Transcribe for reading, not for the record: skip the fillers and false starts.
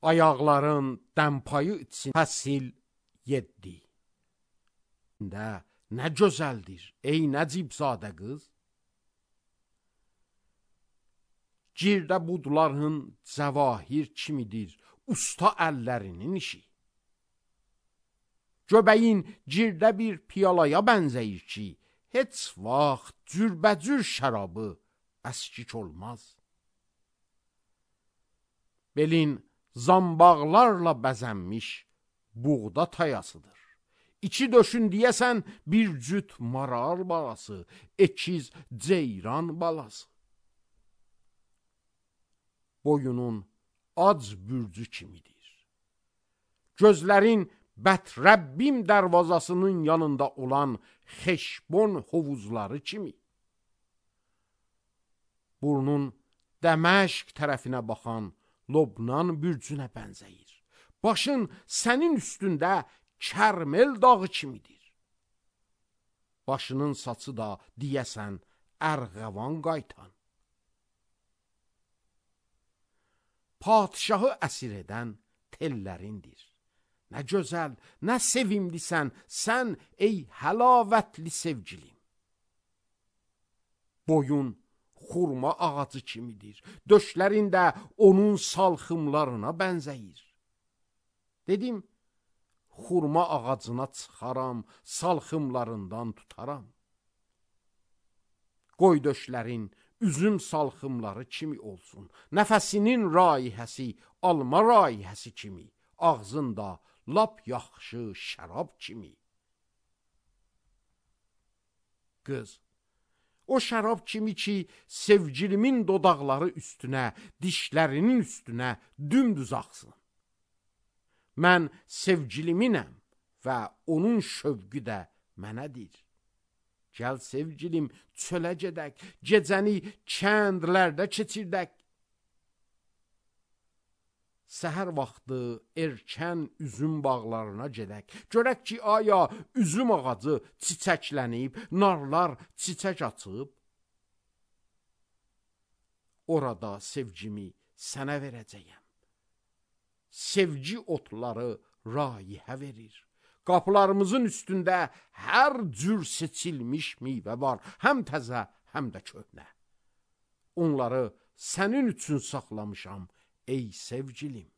ayaqların dəmpayı için fəsil 7. Nə gözəldir, ey Nəcibzadə qız. Girdə budların cəvahir kimidir, usta əllərinin işi. Göbəyin girdə bir piyalaya bənzəyir ki, heç vaxt cürbəcür şərabı əskik olmaz. Belin zambaqlarla bəzənmiş buğda tayasıdır. İçi döşün deyəsən bir cüt maral balası, ekiz ceyran balası. Boyunun ac bürcü kimidir. Gözlərin Bətrəbbim dərvazasının yanında olan Xeşbon hovuzları kimi. Burnun Dəməşq tərəfinə baxan Lobnan bürcünə bənzəyir. Başın sənin üstündə Kərmel dağı kimidir. Başının saçı da deyəsən ərğəvan qaytan. Padişahı əsir edən tellərindir. Nə gözəl, nə sevimlisən sən ey həlavətli sevgilim. Boyun xurma ağacı kimidir. Döşlərin də onun salxımlarına bənzəyir. Dedim, xurma ağacına çıxaram, salxımlarından tutaram. Qoy döşlərin üzüm salxımları kimi olsun. Nəfəsinin raihəsi alma raihəsi kimi. Ağzında lap yaxşı şərab kimi. Qız, o şərab kimi ki, sevgilimin dodaqları üstünə, dişlərinin üstünə dümdüz axsın. Mən sevgiliminəm və onun şövqü də mənədir. Gəl sevgilim, çölə gedək, gecəni kəndlərdə keçirdək. Səhər vaxtı erkən üzüm bağlarına gedək. Görək ki, aya üzüm ağacı çiçəklənib, narlar çiçək açıb. Orada sevgimi sənə verəcəyəm. Sevgi otları raihə verir. Qapılarımızın üstündə hər cür seçilmiş meyvə var, həm təzə, həm də köhnə. Onları sənin üçün saxlamışam, ey sevgilim.